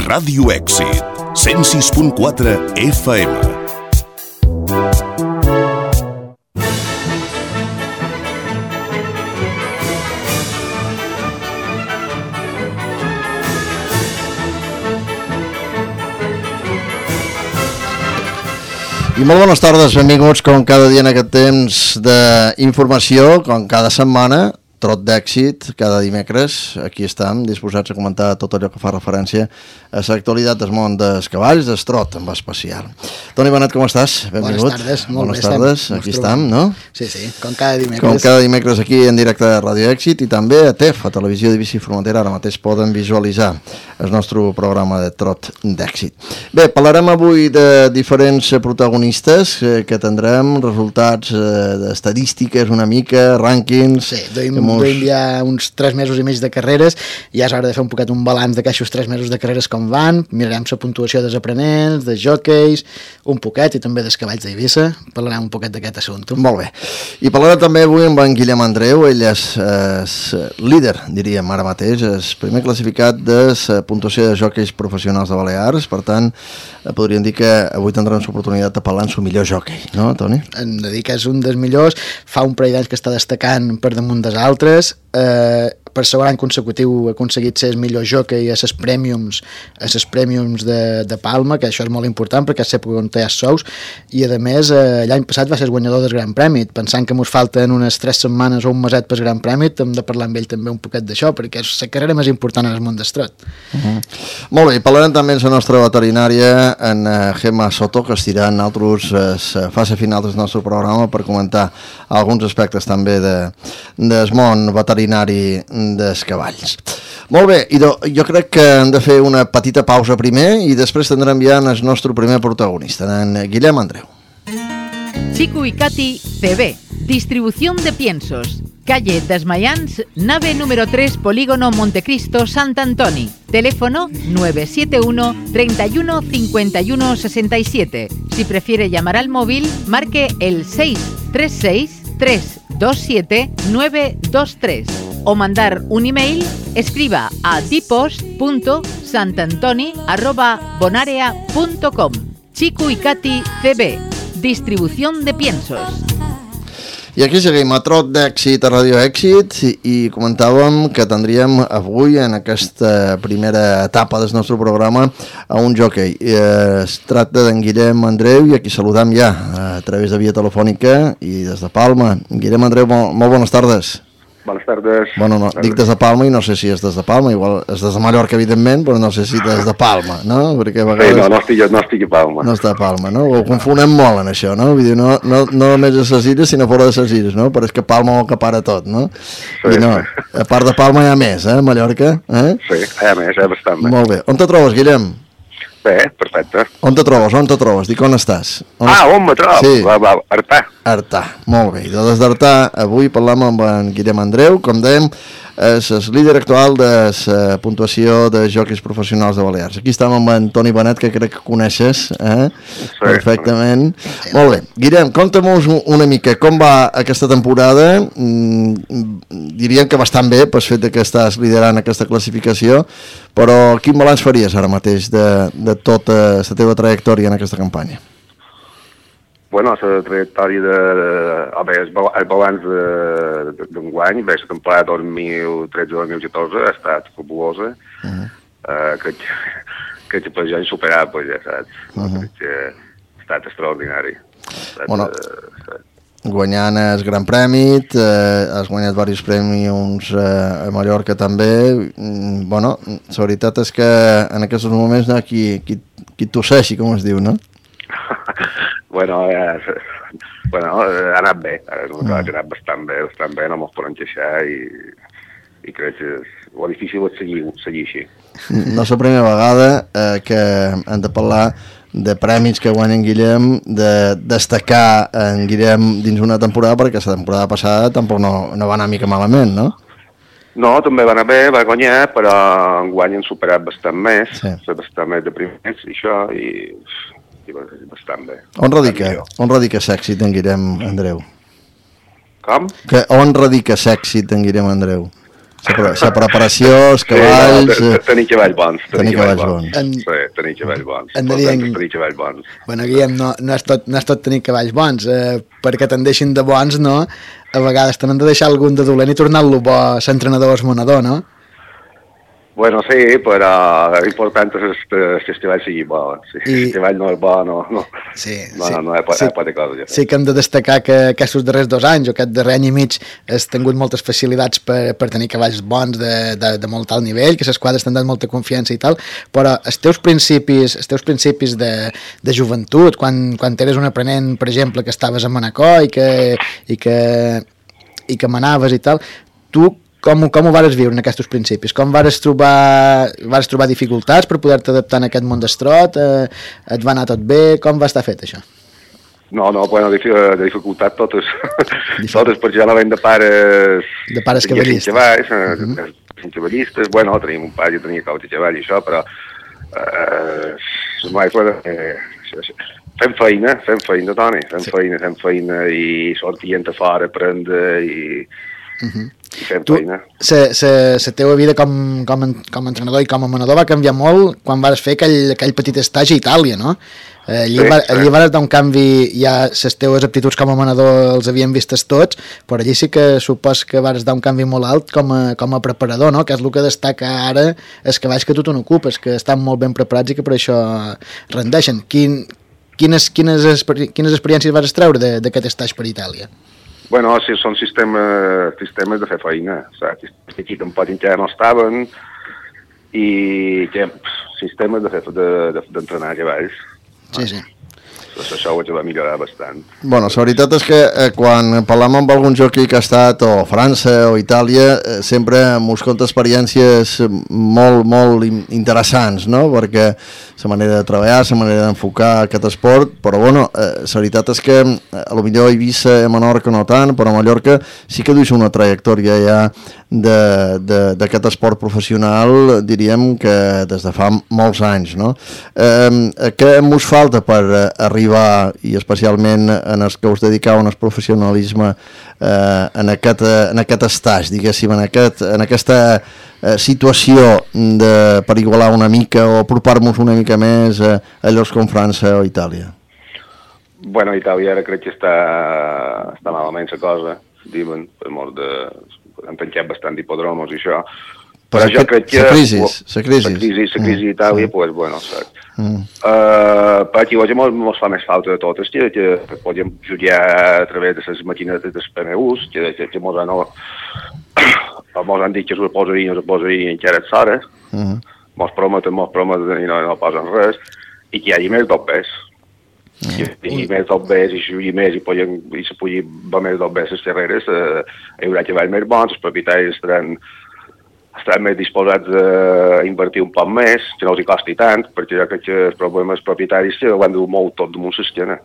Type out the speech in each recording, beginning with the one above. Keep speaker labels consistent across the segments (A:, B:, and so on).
A: Ràdio Èxit, 106.4 FM.
B: I molt bones tardes, benvinguts com cada dia en aquest temps d'informació, com cada setmana, Trot d'Èxit, cada dimecres. Aquí estem, disposats a comentar tot allò que fa referència a l'actualitat del món dels cavalls, del trot en especial. Toni Benet, com estàs? Benvingut.
C: Bones tardes, molt
B: Bones tardes, aquí estem, no?
C: Sí, com cada dimecres.
B: Com cada dimecres aquí en directe a Ràdio Èxit i també a TEF, a Televisió d'Eivissa i Formentera. Ara mateix poden visualitzar el nostre programa de Trot d'Èxit. Bé, parlarem avui de diferents protagonistes que tindrem, resultats d'estadístiques una mica, rànquings...
C: Sí, duim ja uns 3 mesos i mig de carreres, ja és hora de fer un poquet un balanç d'aquestos 3 mesos de carreres com van, mirarem la puntuació dels aprenents, dels jockeys, un poquet, i també dels cavalls d'Eivissa, parlarem un poquet d'aquest assumpte.
B: Molt bé. I parlarem també avui amb en Guillem Andreu, ell és líder, diríem ara mateix, és primer classificat de la puntuació de jockeys professionals de Balears, per tant, podríem dir que avui tindrem l'oportunitat de parlar amb el millor jockey, no, Toni?
C: Hem de dir que és un dels millors, fa un parell d'anys que està destacant per damunt dels altres, per segon any consecutiu ha aconseguit ser el millor jockey a les prèmiums de Palma, que això és molt important perquè és l'època on té els sous, i a més l'any passat va ser el guanyador del Gran Premi. Pensant que ens falten unes 3 setmanes o un meset pel Gran Premi, hem de parlar amb ell també un poquet d'això, perquè és la carrera més important en el món del trot.
B: Molt bé, parlarem també amb la nostra veterinària, en Gemma Soto, que estirà en altres fase final del nostre programa per comentar alguns aspectes també del món veterinari dels cavalls. Molt bé, jo crec que hem de fer una petita pausa primer i després tindrem ja el nostre primer protagonista, en Guillem Andreu.
D: Chico y Katy CB, distribución de piensos, calle Desmayans, nave número 3, Polígono Montecristo, Sant Antoni, teléfono 971 31 51 67. Si prefiere llamar al móvil, marque el 636 327 923 o mandar un email, escriba a dipos.santantoni@bonarea.com. Chico y Katy CB, distribución de piensos.
B: I aquí seguim a Trot d'Èxit a Ràdio Èxit i comentàvem que tindríem avui en aquesta primera etapa del nostre programa a un jockey. Es tracta d'en Guillem Andreu i aquí saludam ja a través de via telefònica i des de Palma. Guillem Andreu, molt bones tardes.
E: Bones tardes.
B: Bueno, no, dic des de Palma i no sé si és des de Palma, igual és des de Mallorca, evidentment, però no sé si des de Palma, no? Perquè a vegades...
E: Sí, no estic a Palma.
B: No està a Palma, no? Ho confonem molt en això, no? Vull dir, no només a les illes, sinó fora de les illes, no? Però és que Palma ho acapara tot, no?
E: Sí.
B: I no, a part de Palma hi ha més, Mallorca?
E: Sí, hi ha més, bastant més.
B: Molt bé. On te trobes, Guillem?
E: Bé, perfecte.
B: On te trobes? Dic, on estàs?
E: On me trobo?
B: Sí.
E: Artà.
B: Molt bé. I des d'Artà, avui parlam amb en Guillem Andreu, com dèiem, és el líder actual de la puntuació de jockeys professionals de Balears. Aquí estem amb en Toni Benet, que crec que coneixes perfectament. Molt bé. Guillem, conta'm-nos una mica com va aquesta temporada. Diríem que bastant bé, pel fet que estàs liderant aquesta classificació, però quin balanç faries ara mateix de tota la teva trajectòria en aquesta campanya?
E: Bueno, la trajectòria el balanç d'enguany, la temporada 2013-2014 ha estat fabulosa. Crec que per jo insuperable, ja saps. Crec que ha estat extraordinari.
B: Bueno, guanyant el Gran Premi, has guanyat diversos premis a Mallorca també. Bueno, la veritat és que en aquests moments qui tosseixi, com es diu, no?
E: Bueno, ha anat bé, ha anat bastant bé, no mos podem queixar i crec que és difícil és seguir així.
B: No és la primera vegada que hem de parlar de premis que guanya en Guillem, de destacar en Guillem dins una temporada, perquè la temporada passada tampoc no va anar mica malament, no?
E: No, també va anar bé, va guanyar, però enguany han superat bastant més, bastant més de primers i això, i bastant bé.
B: On radica l'èxit d'en Guillem Andreu?
E: Com?
B: On radica l'èxit d'en Guillem Andreu? La preparació, els cavalls...
E: Tenir cavalls bons.
B: Tenir cavalls bons.
E: Sí, tenir cavalls bons.
C: Tenir cavalls bons. Bueno, Guillem, no és tot tenir cavalls bons, perquè te'n deixin de bons, no? A vegades tenen de deixar algun de dolent i tornar-lo bo a l'entrenador o esmonador, no?
E: Bueno, sí, però l'important és que el cavall sigui bo. Si el cavall no és bo, no pot cosa.
C: Sí que hem de destacar que aquests darrers 2 anys o aquest darrer any i mig has tingut moltes facilitats per tenir cavalls bons de molt alt nivell, que les quadres t'han dat molta confiança i tal, però els teus principis de joventut, quan eres un aprenent, per exemple, que estaves a Manacor i que manaves i tal, tu com ho vares viure en aquests principis? Com vares trobar dificultats per poder-te adaptar en aquest món d'estrot? Et va anar tot bé? Com va estar fet això?
E: No, bueno, de dificultat totes perquè ja no ven de pares...
C: De pares cavallistes.
E: Cavallistes, bueno, tenim un pare que tenia cau de cavall i això, però... Fem feina, Toni, fem feina i sortient a fora, aprendre i... I fem feina.
C: La teva vida com a entrenador i com a manador va canviar molt quan vas fer aquell petit estagi a Itàlia, no? Allí vas dar un canvi, ja les teves aptituds com a manador els havien vistes tots, però allí sí que supos que vas dar un canvi molt alt com a preparador, no? Que és el que destaca ara els cavalls que tu te n'ocupes, que estan molt ben preparats i que per això rendeixen. Quines experiències vas treure d'aquest estagi per Itàlia?
E: Bueno, sí, són sistemes de fer feina, saps? Aquí tampoc encara no estaven i sistemes d'entrenar cavalls.
C: Sí.
E: Això ho va millorar bastant.
B: Bueno, la veritat és que quan parlem amb algun jockey que ha estat o a França o a Itàlia, sempre mos conta experiències molt interessants, no? Perquè la manera de treballar, la manera d'enfocar aquest esport, però bueno, la veritat és que potser a Eivissa i a Menorca no tant, però a Mallorca sí que duix una trajectòria ja d'aquest esport professional, diríem que des de fa molts anys, no? Què mos falta per arribar, i especialment en els que us dedicaven al professionalisme, en aquest estàs, diguéssim, en aquesta situació per igualar una mica o apropar-nos una mica més a llocs com França o Itàlia?
E: Bueno, Itàlia ara crec que està malament la cosa, diuen, per molt de... Han tancat bastant d'hipodromos i això, però jo crec que... La crisi d'Itàlia, doncs, bueno, saps? Perquè avui ens fa més falta de totes, que podem jugar a través de les maquinetes dels PMUs, que ens han dit que s'ho posarien encara a l'hora, ens prometen i no posen res, i que hi hagi més dobbers. I més dobbers, i jugui més, i se pugui va més dobbers les carreres, hi haurà cavalls més bons, els propietaris estaran més disposats a invertir un poc més, que no els hi costi tant, perquè jo crec que els problemes propietaris ho han de molt tot damunt l'esquena.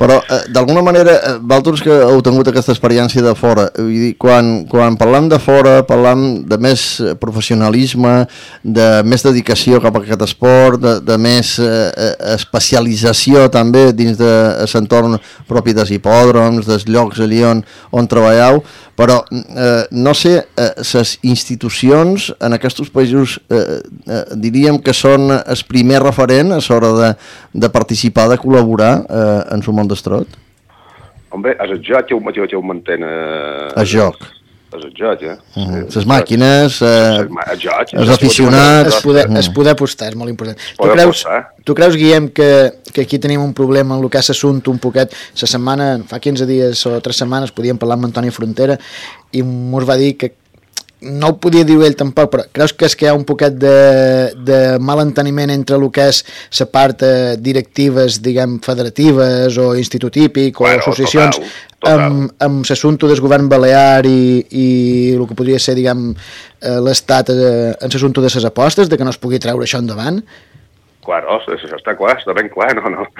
B: Però d'alguna manera vosaltres que heu tingut aquesta experiència de fora, vull dir, quan parlem de fora parlem de més professionalisme, de més dedicació cap a aquest esport, de més especialització també dins de l'entorn propi dels hipòdroms, dels llocs allí on treballeu, però no sé, les institucions en aquests països diríem que són el primer referent a l'hora de participar, de col·laborar en el món d'estrot?
E: Home, és el joc que ho mantén...
B: El joc.
E: És el joc,
B: Les màquines, els aficionats...
C: Es poder apostar, és molt important. Tu creus, Guillem, que aquí tenim un problema en el que és l'assumpte un poquet? La setmana, fa 15 dies o 3 setmanes, podíem parlar amb Antoni Frontera i mos va dir que no ho podia dir ell tampoc, però creus que hi ha un poquet de malenteniment entre el que és la part directives, diguem, federatives o institut típic o associacions amb l'assumpte del govern balear i el que podria ser, diguem, l'estat en l'assumpte de les apostes, de que no es pugui treure això endavant?
E: Claro, això està clar, està ben clar, no.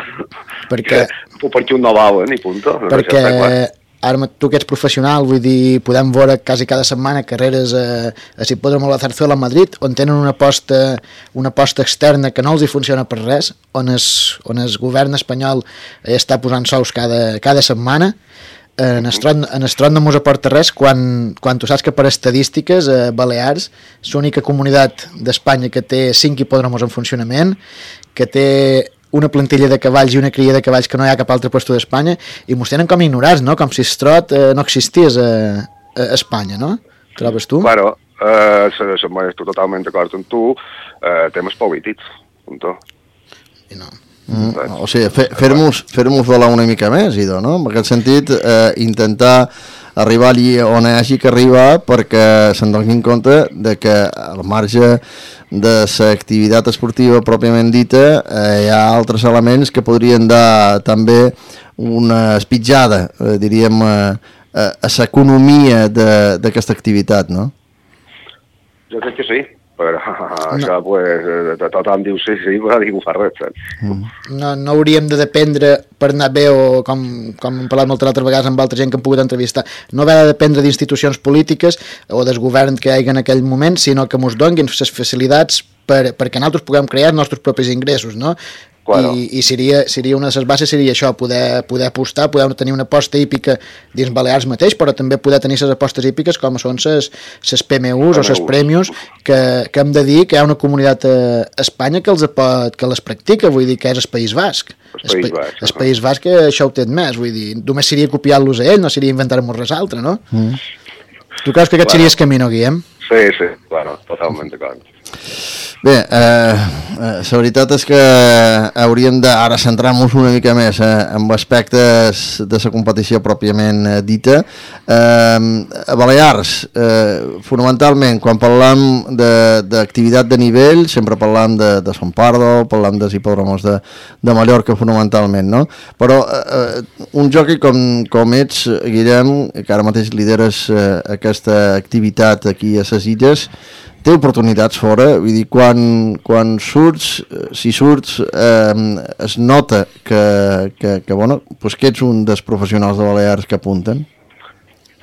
C: Perquè
E: un no volen i punto.
C: Perquè ara tu que ets professional, vull dir, podem veure quasi cada setmana carreres a Hipòdromo La Zarzuela a Madrid, on tenen una aposta externa que no els hi funciona per res, on el govern espanyol està posant sous cada setmana. en Estrot no mos aporta res quan tu saps que per estadístiques Balears és l'única comunitat d'Espanya que té 5 hipòdromos en funcionament, que té una plantilla de cavalls i una cria de cavalls que no hi ha cap altre lloc d'Espanya, i mos tenen com ignorats, no? Com si Estrot no existís a Espanya, no? Trobes tu?
E: Claro, estic totalment d'acord amb tu, temes polítics, punto.
C: I no.
B: O sigui, fer-nos volar una mica més, Ido, no? En aquest sentit, intentar arribar allí on hi hagi que arribar perquè se'n donin compte de que al marge de l'activitat esportiva pròpiament dita hi ha altres elements que podrien dar també una espitjada, diríem, a l'economia d'aquesta activitat, no?
E: Jo crec que sí, però això, pues, tothom diu sí, però ningú fa res, saps?
C: No hauríem de dependre per anar bé, o com hem parlat moltes altres vegades amb altra gent que hem pogut entrevistar, no haver de dependre d'institucions polítiques o del govern que hi hagi en aquell moment, sinó que ens donguin les facilitats perquè nosaltres puguem crear els nostres propis ingressos, no? Claro. I seria una de les bases seria això, poder apostar, poder tenir una aposta hípica dins Balears mateix, però també poder tenir les apostes hípiques com són les PMUs o les Premius, que hem de dir que hi ha una comunitat a Espanya que les practica, vull dir que és el País Basc. El País Basc això ho té més, vull dir, només seria copiar-los a ell, no seria inventar-nos res altre, no? Tu creus que aquest seria el camí, no, Guillem?
E: Sí, claro, totalment d'acord.
B: Bé, la veritat és que hauríem d'ara centrar-nos una mica més en aspectes de la competició pròpiament dita. A Balears, fonamentalment, quan parlam d'activitat de nivell, sempre parlam de Son Pardo, parlam dels hipòdromos de Mallorca, fonamentalment, no? Però un jockey com ets, Guillem, que ara mateix lideres aquesta activitat aquí a les Illes, té oportunitats fora, vull dir, quan surts, si surts, es nota que ets un dels professionals de Balears que apunten?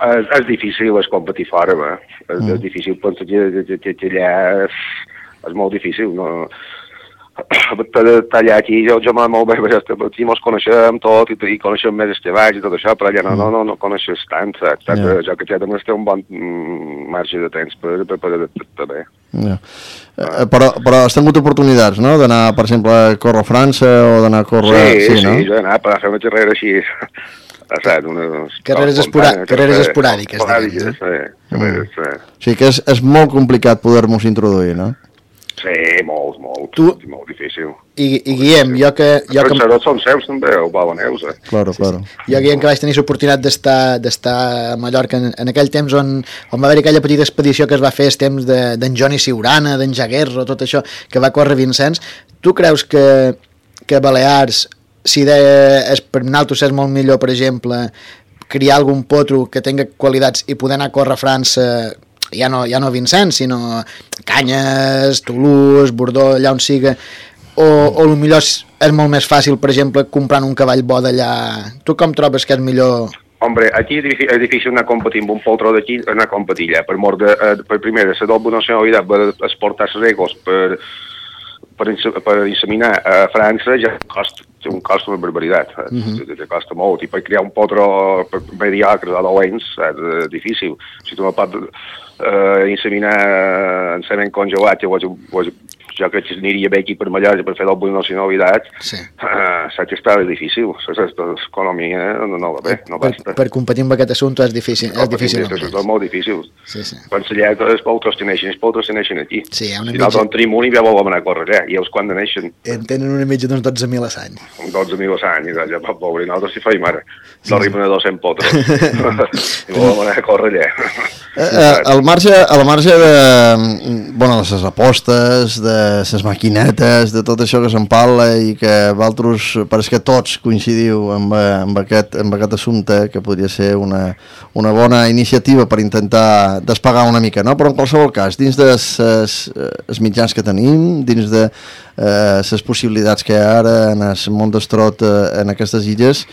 E: És difícil competir fora, és difícil, penso que allà és molt difícil, no? Allà aquí jo molt bé, aquí ens coneixem tot i coneixem més els treballs i tot això, però allà no coneixes tant, jo que ja també té un bon marge de temps per bé.
B: Però has tingut oportunitats, no? D'anar, per exemple, a córrer a França o d'anar a córrer...
E: Sí, jo he anat per fer una carrera així,
C: carreres esporàdiques.
B: O sigui que és molt complicat poder-nos introduir, no?
E: Sí, molt difícil.
C: I Guillem, jo que...
E: Els francesos són seus també, o balaneus,
B: Claro.
C: Jo, Guillem, que vaig tenir l'oportunitat d'estar a Mallorca en aquell temps on va haver aquella petita expedició que es va fer el temps d'en Johnny Siurana, d'en Jaguerro, tot això, que va córrer Vincents. Tu creus que Balears, si per nosaltres és molt millor, per exemple, criar algun potro que tinga qualitats i poder anar a córrer a França, ja no Vincent, sinó Canyes, Toulouse, Bordeaux, allà on siga, o millor és molt més fàcil, per exemple, comprant un cavall bo d'allà. Tu com trobes que és millor?
E: Hombre, aquí és difícil anar competint amb un poltró d'aquí, anar a competir allà, per primer, la doble nacionalitat, per exportar les regles, per inseminar a França ja té un cost una barbaritat, costa molt, i per crear un potro mediocre de dolents és difícil. Si tu no pots inseminar en semen congelat, jo crec que aniria bé aquí per Mallorca per fer doble nacionalitat, saps que està difícil, l'economia no va bé, no basta.
C: Per competir amb aquest assumpte és difícil.
E: És molt difícil. Pensa allà que els poltros teneixen aquí. Si nosaltres en tenim un i ja volem anar a córrer allà, i els quan neixen?
C: En tenen una mitja d'uns 12.000 a l'any.
E: 12.000 a l'any, ja pot veure, nosaltres si feim ara, no arriben a 200 potros, i volem anar a córrer allà.
B: Al marge de les apostes, de les maquinetes, de tot això que se'n parla i que vosaltres, pareix que tots coincidiu amb aquest assumpte, que podria ser una bona iniciativa per intentar despegar una mica, no? Però en qualsevol cas, dins dels mitjans que tenim, dins de les possibilitats que hi ha ara en el món d'Estrot en aquestes illes,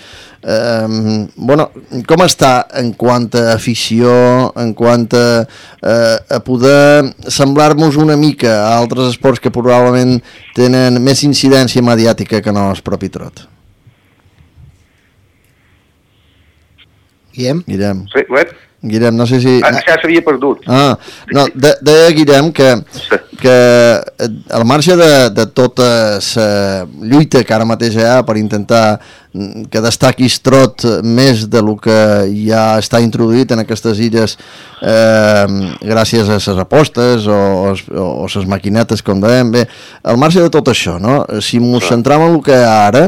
B: com està en quant a afició, en quant a poder semblar-nos una mica a altres esports que probablement tenen més incidència mediàtica que no el propi trot?
C: Guillem?
E: Sí, web?
B: Guillem, no sé si...
E: Ja s'havia perdut.
B: No, deia Guillem que al marge de tota la lluita que ara mateix hi ha per intentar que destaqui Estrot més de lo que ja està introduït en aquestes illes gràcies a les apostes o les maquinetes, com dèiem, bé, al marge de tot això, no? Si ens centram en el que hi ha ara,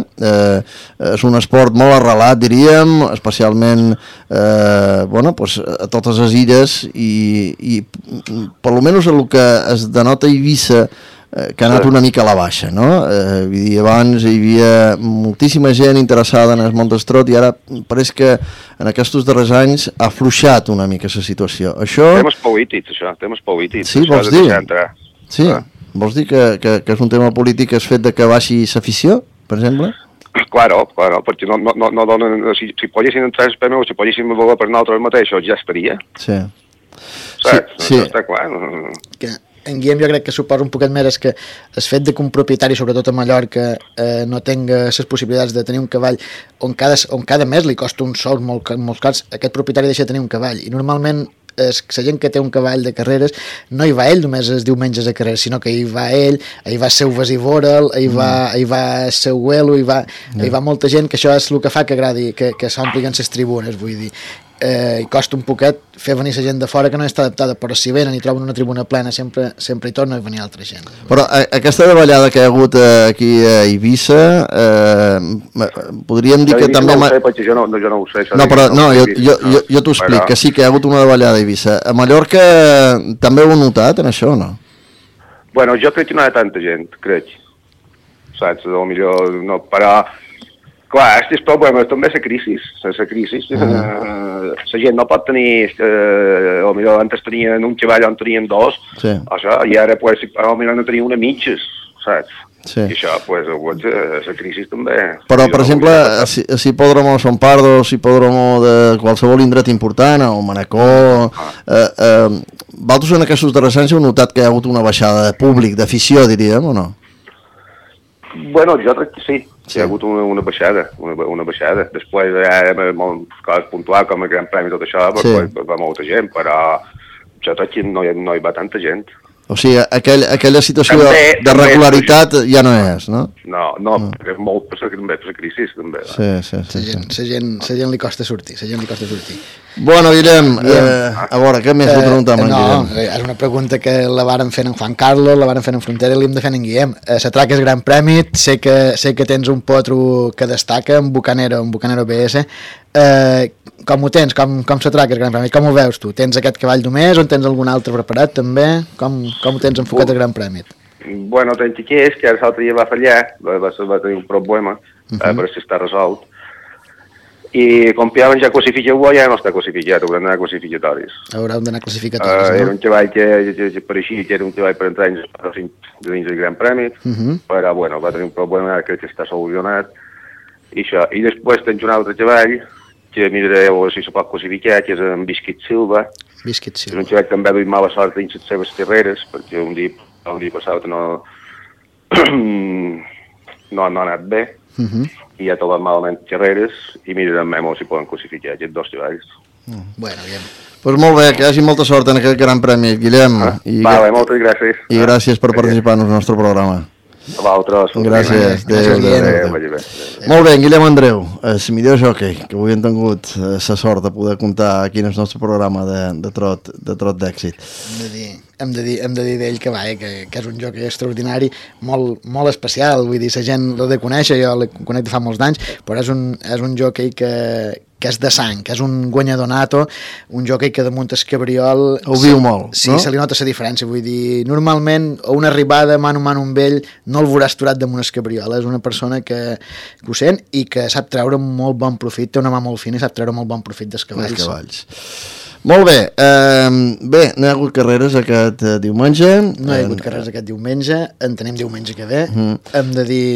B: és un esport molt arrelat, diríem, especialment a totes les illes i per almenys el que es denota a Eivissa, que ha anat una mica a la baixa, no? Vull dir, abans hi havia moltíssima gent interessada en el món d'Estrot i ara pareix que en aquests darrers anys ha afluixat una mica la situació. Això...
E: Temes polítics, això, temes polítics.
B: Sí, vols dir? Sí, vols dir que és un tema polític el fet de que baixi l'afició, per exemple?
E: Claro, perquè no donen... Si poguessin entrar els PMU, si poguessin voler per nosaltres mateixos, ja estaria.
B: Sí.
E: Saps? Sí. Està clar.
C: Que en Guillem jo crec que suposa un poquet més és que el fet de que un propietari, sobretot a Mallorca, no tenga les possibilitats de tenir un cavall on cada mes li costa un sou molt cars, aquest propietari deixa de tenir un cavall i normalment la gent que té un cavall de carreres no hi va ell només els diumenges a carreres, sinó que hi va ell, hi va el seu Vasivoral, hi va el seu Güelo, hi va molta gent, que això és el que fa que agradi que s'omplin les tribunes, vull dir. I costa un poquet fer venir la gent de fora que no està adaptada, però si venen i troben una tribuna plena sempre hi torna a venir altra gent.
B: Però aquesta davallada que hi ha hagut aquí a Eivissa podríem dir que també...
E: No ho sé, perquè jo no ho sé.
B: Jo t'ho explico, que sí que hi ha hagut una davallada a Eivissa. A Mallorca també ho heu notat en això o no?
E: Bueno, jo crec que no hi ha tanta gent, crec. Saps? Potser no, però... Clar, és problema, també la crisi. La gent no pot tenir, potser antes tenien un cavall on tenien dos, això, i ara potser no tenien una mitges, saps?
B: Sí.
E: I això, la crisi també...
B: Però, per exemple, si Hipòdromo de Son Pardo, si Hipòdromo de qualsevol indret important, o Manacor... Vosaltres en aquests darrers anys heu notat que hi ha hagut una baixada de públic, d'afició, diríem, o no?
E: Bueno, jo crec que sí. Hi ha hagut una baixada. Després hi ha coses puntuals com el Gran Premi i tot això, va molta gent, però jo crec que no hi va tanta gent.
B: O sigui, aquella situació de regularitat ja no és, no?
E: No, perquè és molt per la crisi, també.
B: Sí.
C: La gent li costa sortir,
B: Bueno, Guillem, a veure, què més li preguntem en Guillem?
C: No, és una pregunta que la varen fent en Juan Carlos, la varen fent en Frontera i l'hem de fer en Guillem. Se traca el Gran Premi, sé que tens un potro que destaca, un Bucanero BS. Com ho tens? Com se traca el Gran Premi? Com ho veus tu? Tens aquest cavall només o en tens algun altre preparat també? Com ho tens enfocat el Gran Premi?
E: Bueno, tenc que és que l'altre dia va fallar, va tenir un problema, però si està resolt. I com que ja classificat, ja no està classificat, hauran d'anar classificatoris.
C: Hauran d'anar classificatoris,
E: no? Era un cavall que pareixia que era un cavall per entrar dins del Gran Premi, però bueno, va tenir un problema, crec que està solucionat. I després tens un altre cavall, que miraré a veure si se pot classificar, que és en Biscuit Silva. És un cavall que també ha duit mala sort dins les seves carreres, perquè un dia passat no ha anat bé. I ja trobat malament carreres i mirarem si poden classificar aquests dos cavalls.
C: Bueno, bien.
B: Pues molt bé, que hi hagi molta sort en aquest Gran Premi, Guillem.
E: Vale, moltes gràcies.
B: I gràcies per participar en el nostre programa.
E: A vosaltres.
B: Gràcies. Molt bé, Guillem Andreu, el millor jockey que avui hem tingut la sort de poder comptar aquí en el nostre programa de trot d'èxit.
C: Hem de dir d'ell que és un jockey extraordinari, molt especial, vull dir, la gent l'ha de conèixer, jo l'he conec de fa molts d'anys, però és un jockey que és de sang, que és un guanyador nato, un jockey que damunt el cabriol...
B: Ho viu molt,
C: sí,
B: no?
C: Se li nota la diferència, vull dir, normalment a una arribada mano a mano amb ell no el veuràs aturat damunt el cabriol, és una persona que ho sent i que sap treure molt bon profit, té una mà molt fina i sap treure molt bon profit dels cavalls.
B: Molt bé, no hi ha hagut carreres aquest diumenge.
C: No hi ha hagut carreres aquest diumenge, en tenim diumenge que ve. Hem de dir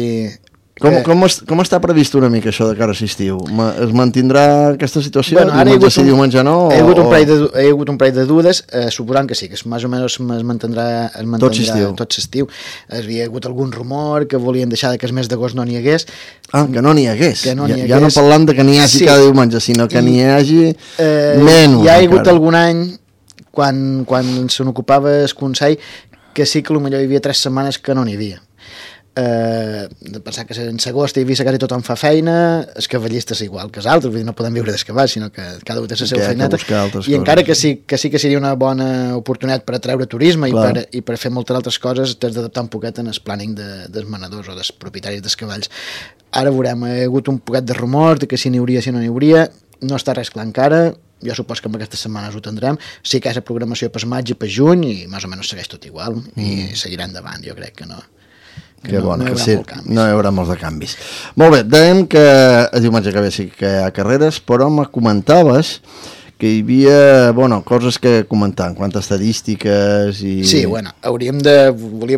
B: Com està previst una mica això de cara a l'estiu? Es mantindrà aquesta situació?
C: Bueno, ara
B: diumenge sí, diumenge no?
C: Hi ha hagut un parell de dudes, suposant que sí, que més o menys es mantindrà tot l'estiu. Hi havia hagut algun rumor que volien deixar que el mes d'agost no n'hi hagués.
B: Que no n'hi hagués.
C: Ja
B: no parlant de que n'hi hagi cada diumenge, sinó que n'hi hagi menys.
C: Hi ha hagut algun any, quan se n'ocupava el Consell, que sí que potser hi havia 3 setmanes que no n'hi havia. De pensar que en l'agost i Eivissa quasi tothom fa feina, els cavallistes igual que els altres, vull dir, no podem viure dels cavalls, sinó que cada un té la seva feineta, i encara que sí que seria una bona oportunitat per atreure turisme i per fer moltes altres coses, t'has d'adaptar un poquet en el planning dels manadors o dels propietaris dels cavalls. Ara veurem, hi ha hagut un poquet de rumor de que si n'hi hauria, si no n'hi hauria, no està res clar encara. Jo supos que en aquestes setmanes ho tindrem. Sí que és la programació per maig i per juny i més o menys segueix tot igual i seguirà endavant, jo crec que no.
B: Que no, bona, que sí, no hi haurà molts de canvis. Molt bé, dèiem que el diumenge que ve sí que hi ha carreres, però me comentaves que hi havia, coses que comentar en quant a estadístiques i... Sí,
C: volia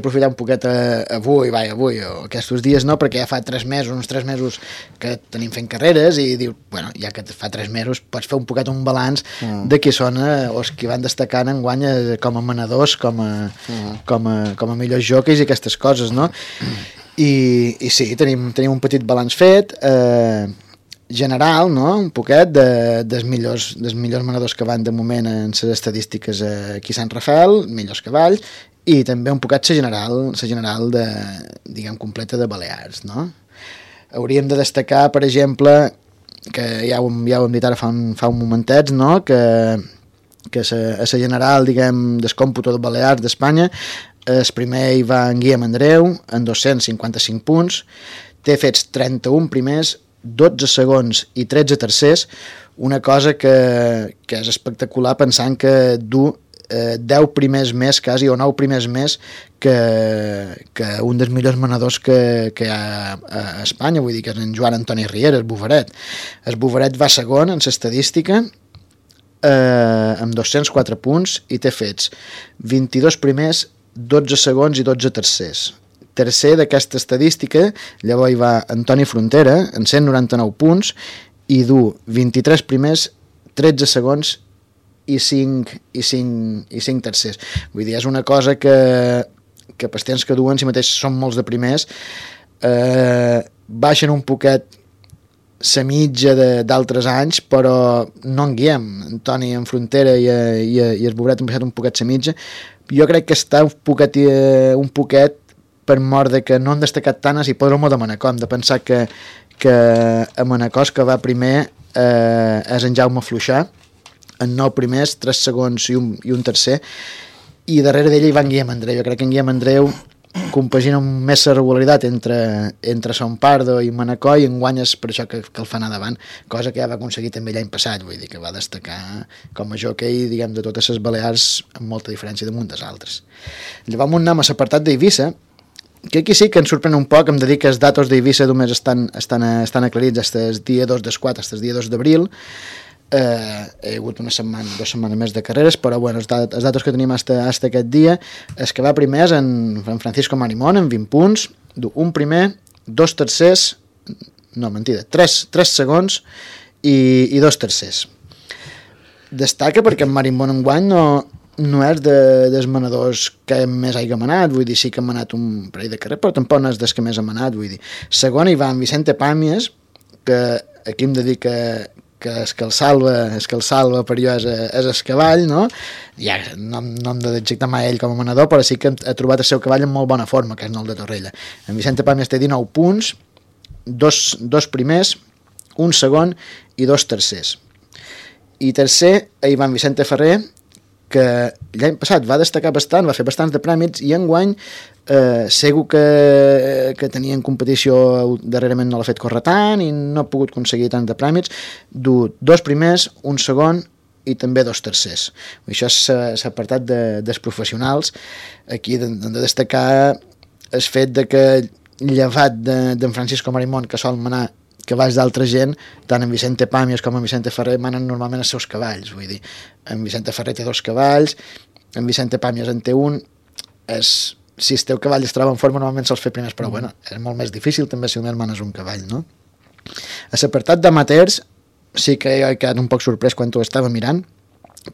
C: aprofitar un poquet avui o aquests dies, no, perquè ja fa uns 3 mesos que tenim fent carreres i diu, ja que fa 3 mesos pots fer un poquet un balanç de qui són els que van destacant enguany com a manadors, com a millors jockeys i aquestes coses, no? I sí, tenim un petit balanç fet, general, no? Un poquet dels millors manadors que van de moment en les estadístiques aquí a Sant Rafael, millors cavalls, i també un poquet la general de, diguem, completa de Balears, no? Hauríem de destacar, per exemple, que ja ho hem dit ara fa un momentet, no? Que la general, diguem, del còmputo de Balears d'Espanya, el primer hi va en Guillem Andreu, en 255 punts, té fets 31 primers, 12 segons i 13 tercers, una cosa que és espectacular pensant que du 10 primers més quasi, o 9 primers més que un dels millors manadors que hi ha a Espanya, vull dir que és en Joan Antoni Riera, el Boveret. El Boveret va segon en l'estadística amb 204 punts i té fets 22 primers, 12 segons i 12 tercers. Tercer d'aquesta estadística, llavors hi va Antoni Frontera, en 199 punts, i du 23 primers, 13 segons i 5 tercers. Vull dir, és una cosa que pels temps que duen, si mateix són molts de primers, baixen un poquet la mitja d'altres anys, però no en guiem. Antoni en Frontera i el Bobret han baixat un poquet la mitja. Jo crec que està un poquet per mort de que no han destacat tant a l'hipòdromo de Manacor. Hem de pensar que a Manacor que va primer és en Jaume Fluixà, en 9 primers, 3 segons i un tercer, i darrere d'ell hi va en Guillem Andreu. Jo crec que en Guillem Andreu compagina més la regularitat entre Son Pardo i Manacor, i enguany és per això que el fa anar davant, cosa que ja va aconseguir també l'any passat, vull dir que va destacar com a jockey, diguem, de totes les Balears amb molta diferència damunt dels altres. Llavors anem a l'apartat d'Eivissa, que aquí sí que ens sorprèn un poc. Em de dir que els datos d'Eivissa només estan aclarits fins el dia 2 del 4, fins el dia 2 d'abril. Hi ha hagut 2 setmanes més de carreres, però bueno, els datos que tenim fins aquest dia és que va primer en Francisco Marimón amb 20 punts, un primer, 2 tercers, no, mentida, 3 segons i 2 tercers. Destaca perquè en Marimón enguany no és dels manadors que més hagi manat, vull dir, sí que ha manat un parell de carrer, però tampoc no és dels que més ha manat, vull dir. Segon hi va en Vicente Pàmies, que aquí hem de dir que és que el salva per jo és el cavall, no? Ja no hem d'adjectar mai ell com a manador, però sí que ha trobat el seu cavall en molt bona forma, que és el de Torrella. En Vicente Pàmies té 19 punts, 2 primers, un segon i 2 tercers. I tercer, hi va en Vicente Ferrer, que l'any passat va destacar bastant, va fer bastants de prèmits, i enguany segur que tenia en competició darrerament no l'ha fet córrer tant i no ha pogut aconseguir tant de prèmits. Du 2 primers, un segon i també 2 tercers. Això és l'apartat dels professionals. Aquí hem de destacar el fet de que llevat d'en Francisco Marimón, que sol manar cavalls d'altra gent, tant en Vicente Pàmies com en Vicente Ferrer manen normalment els seus cavalls, vull dir, en Vicente Ferrer té 2 cavalls, en Vicente Pàmies en té un, és si el teu cavall es troba en forma, normalment sols fer primers, però bueno, és molt més difícil també si només manes un cavall, no? A l'apartat d'amateurs sí que he quedat un poc sorprès quan ho estava mirant,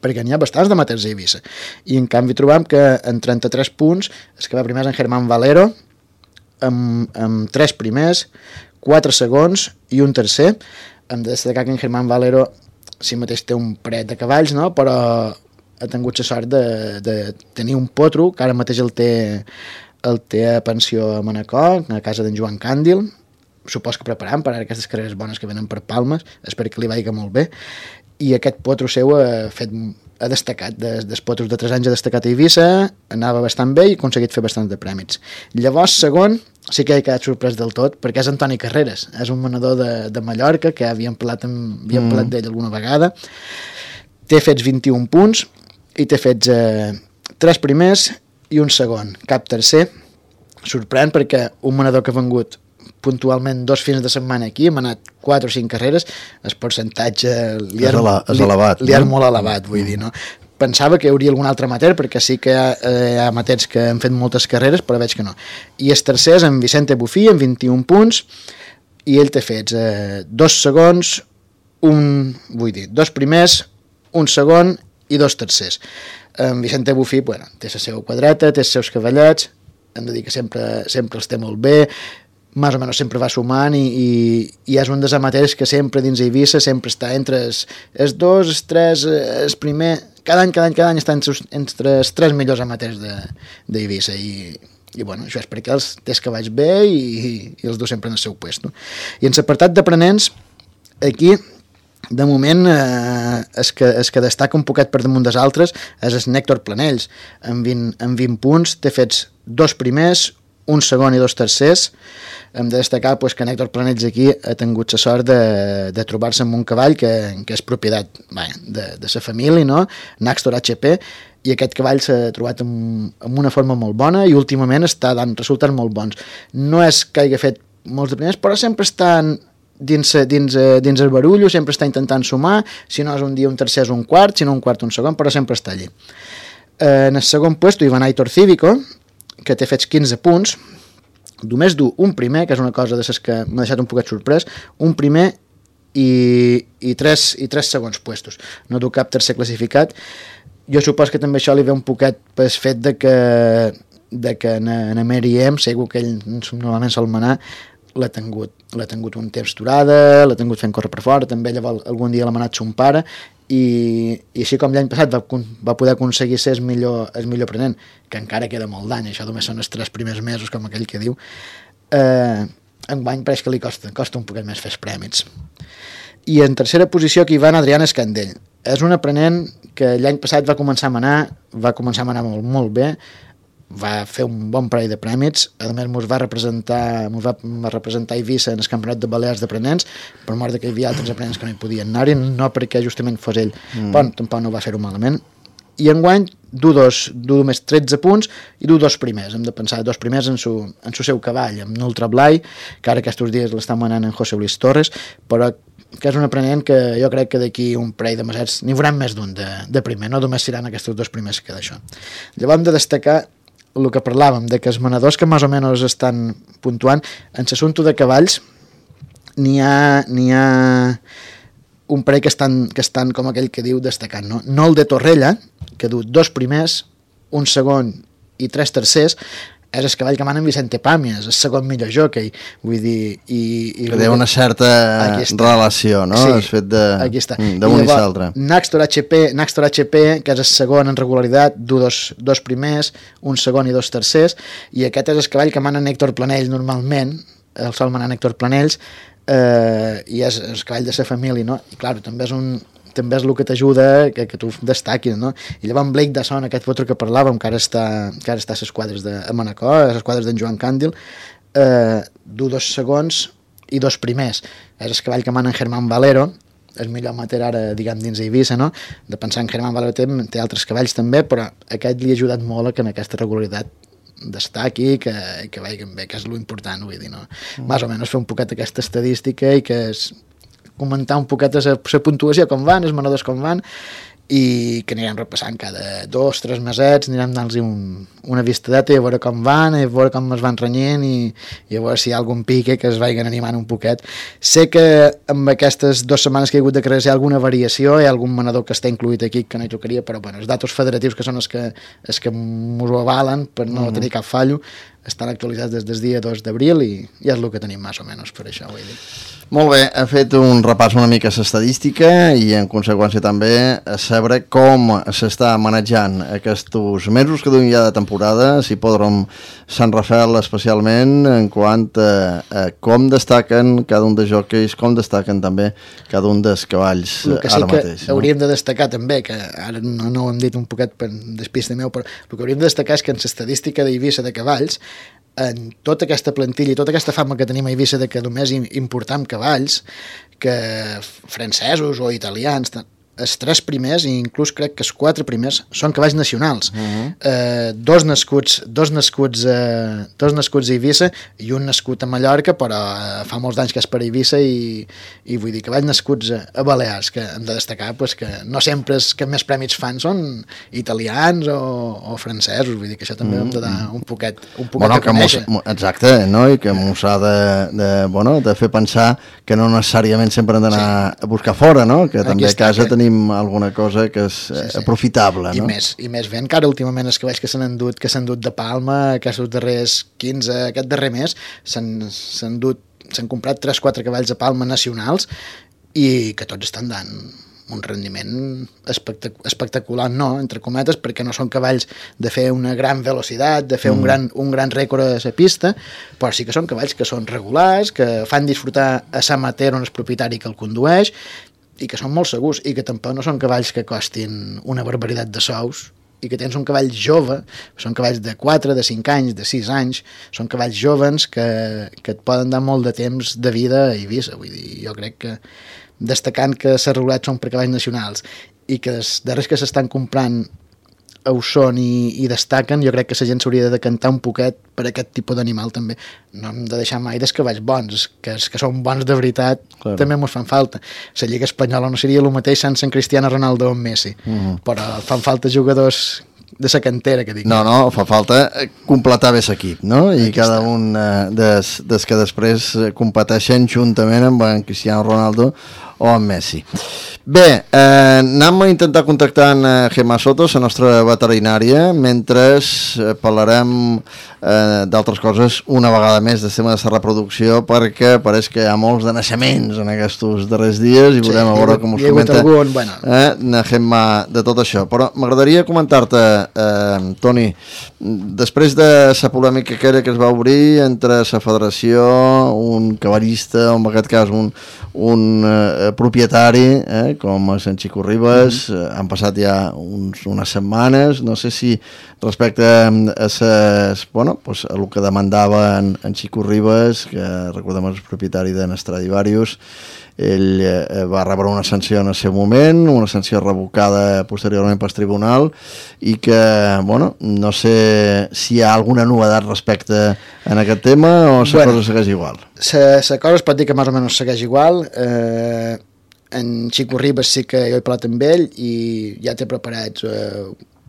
C: perquè n'hi ha bastants d'amateurs a Eivissa, i en canvi trobam que en 33 punts es que va primer en Germán Valero amb 3 primers, 4 segons i un tercer. Hem de destacar que en Germán Valero sí mateix té un parell de cavalls, no? Però ha tingut la sort de tenir un potro que ara mateix el té a pensió a Manacor, a casa d'en Joan Càndil, supos que preparant per a aquestes carreres bones que venen per Palmes, espero que li vagi molt bé, i aquest potro seu ha destacat, dels potros de 3 anys ha destacat a Eivissa, anava bastant bé i ha aconseguit fer bastants de prèmits. Llavors, segon, sí que he quedat sorprès del tot, perquè és Antoni Carreras, és un manador de Mallorca, que havíem parlat d'ell alguna vegada, té fets 21 punts, i té fets 3 primers i un segon, cap tercer. Sorprèn perquè un manador que ha vengut puntualment 2 fins de setmana aquí, hem anat 4 o 5 carreres, el percentatge li és molt elevat, vull dir, no? Pensava que hi hauria algun altre amateur, perquè sí que hi ha amateurs que han fet moltes carreres, però veig que no. I el tercer és en Vicente Bufí, amb 21 punts, i ell té fets 2 segons, 2 primers, un segon i 2 tercers. En Vicente Bufí, bueno, té la seva quadreta, té els seus cavallets, hem de dir que sempre els té molt bé, més o menys sempre va sumant i és un dels amateurs que sempre dins Eivissa sempre està entre els 2, els 3, el primer, cada any està entre els 3 millors amateurs d'Eivissa i bueno, això és perquè els té els cavalls bé i els du sempre en el seu puesto. I en l'apartat d'aprenents, aquí de moment el que destaca un poquet per damunt dels altres és el Nèctor Planells, amb 20 punts, té fets 2 primers, un segon i 2 tercers. Hem de destacar que Nèctor Planells aquí ha tingut la sort de trobar-se amb un cavall que és propietat de la família, no? Naxtor HP, i aquest cavall s'ha trobat amb una forma molt bona i últimament està dant resultats molt bons. No és que hagi fet molts de primers, però sempre estan dins el barullo, sempre està intentant sumar, si no és un dia un tercer és un quart, si no un quart un segon, però sempre està allí. En el segon lloc, Ivan Aitor Cívico, que té fets 15 punts, només du un primer, que és una cosa de les que m'ha deixat un poquet sorprès, un primer i tres segons puestos. No du cap tercer classificat. Jo supos que també això li ve un poquet pel fet de que en Meriem, segur que ell normalment sol manar, l'ha tingut un temps aturada, l'ha tingut fent córrer per fora, també llavors algun dia l'ha manat son pare, i així com l'any passat va poder aconseguir ser el millor aprenent, que encara queda molt d'any, això només són els 3 primers mesos, com aquell que diu, enguany pareix que li costa un poquet més fer els prèmits. I en tercera posició aquí va en Adrián Escandell. És un aprenent que l'any passat va començar a manar molt, molt bé, va fer un bon parell de prèmits, a més ens va representar a Eivissa en el campionat de Balears d'aprenents, per mort que hi havia altres aprenents que no hi podien anar-hi, no perquè justament fos ell, però tampoc no va fer-ho malament. I enguany du només 13 punts i du 2 primers, hem de pensar 2 primers en su seu cavall, amb Ultra Blai, que ara aquests dies l'està manant en José Luis Torres, però que és un aprenent que jo crec que d'aquí un parell de mesets n'hi haurà més d'un de primer, no només seran aquests 2 primers que d'això. Llavors hem de destacar el que parlàvem, de que els manadors que més o menys estan puntuant, en l'assumpte de cavalls n'hi ha un parell que estan com aquell que diu destacant, no? No el de Torrella, que du 2 primers, un segon i 3 tercers, és el cavall que mana en Vicente Pàmies, el segon millor jockey, vull dir... Que
B: té una certa relació, no?
C: Sí,
B: el fet d'un i l'altre.
C: Naxtor HP, que és el segon en regularitat, du 2 primers, un segon i 2 tercers, i aquest és el cavall que mana Nèctor Planells normalment, el sol manar Nèctor Planells, i és el cavall de la família, no? I clar, també és el que t'ajuda que tu destaquis, no? I llavors Blake Dasson, aquest potro que parlàvem, que ara està a les quadres de Manacor, a les quadres d'en Joan Càndil, du 2 segons i 2 primers. És el cavall que mana en Germán Valero, el millor amateur ara, diguem, dins Eivissa, no? De pensar en Germán Valero té altres cavalls també, però aquest li ha ajudat molt a que en aquesta regularitat destaqui, que vagin bé, que és l'important, vull dir, no? Més o menys fer un poquet aquesta estadística i que comentar un poquet la puntuació com van, els manadors com van, i que anirem repassant cada 2-3 mesets, anirem donant-los una vistadeta i a veure com van, a veure com es van renyent i a veure si hi ha algun pique que es vagin animant un poquet. Sé que amb aquestes 2 setmanes que hi ha hagut de carreres hi ha alguna variació, hi ha algun manador que està incluït aquí que no hi tocaria, però bueno, els datos federatius que són els que m'ho avalen per no tenir cap fallo estan actualitzats des del dia 2 d'abril i és el que tenim més o menys per això, vull dir.
B: Molt bé, ha fet un repàs una mica a l'estadística i en conseqüència també a saber com s'està manejant aquests mesos que duim ja de temporada, si podrem Sant Rafael especialment en quant a com destaquen cada un dels jockeys, com destaquen també cada un dels cavalls ara mateix.
C: El que hauríem de destacar també, que ara no ho hem dit un poquet per despista meu, però el que hauríem de destacar és que en l'estadística d'Eivissa de cavalls, en tota aquesta plantilla i tota aquesta fama que tenim a Eivissa de que només importam cavalls, que francesos o italians, els 3 primers, i inclús crec que els 4 primers, són cavalls nacionals. Dos nascuts a Eivissa i un nascut a Mallorca, però fa molts anys que és per Eivissa i vull dir, cavalls nascuts a Balears, que hem de destacar pues, que no sempre els que més prèmits fan són italians o francesos, vull dir que això també hem de dar un poquet a conèixer.
B: Exacte, no? I que mos ha de fer pensar que no necessàriament sempre hem d'anar a buscar fora, no? Que també a casa tenim alguna cosa que és aprofitable, no?
C: I més ben que ara últimament els cavalls que s'han endut de Palma aquests darrers 15, aquest darrer mes s'han comprat 3-4 cavalls a Palma nacionals i que tots estan dant un rendiment espectacular, no, entre cometes, perquè no són cavalls de fer una gran velocitat, de fer un gran rècord a la pista, però sí que són cavalls que són regulars, que fan disfrutar a l'amateur on el propietari que el condueix i que són molt segurs i que tampoc no són cavalls que costin una barbaritat de sous i que tens un cavall jove, són cavalls de 4, de 5 anys, de 6 anys, són cavalls jovens que et poden dar molt de temps de vida a Eivissa. Vull dir, jo crec que destacant que les regulats són per cavalls nacionals i que els darrers que s'estan comprant ho són i destaquen, jo crec que la gent s'hauria de decantar un poquet per aquest tipus d'animal també. No hem de deixar mai dels cavalls bons, que els que són bons de veritat també ens fan falta. La Lliga Espanyola no seria el mateix sense en Cristiano Ronaldo o en Messi, però fan falta jugadors de la cantera, que dic.
B: No, fa falta completar bé l'equip, no? I cada un des que després competeixen juntament amb en Cristiano Ronaldo o amb Messi. Bé, anem a intentar contactar amb Gemma Soto, la nostra veterinària, mentre parlarem d'altres coses una vegada més del tema de la reproducció, perquè pareix que hi ha molts de naixements en aquests darrers dies i veurem a veure com us comenta Gemma de tot això. Però m'agradaria comentar-te, Toni, després de la polèmica que es va obrir entre la federació, un cavallista, o en aquest cas un propietari, com a Sant Xico Ribes, han passat ja unes setmanes, no sé si respecte a el que demandava en Xico Ribes, que recordem és el propietari de Stradivarius, ell va rebre una sanció en el seu moment, una sanció revocada posteriorment pel tribunal, i que, no sé si hi ha alguna novedat respecte en aquest tema o la cosa segueix igual.
C: La cosa es pot dir que més o menys segueix igual. En Xico Ribes sí que jo he parlat amb ell i ja té preparats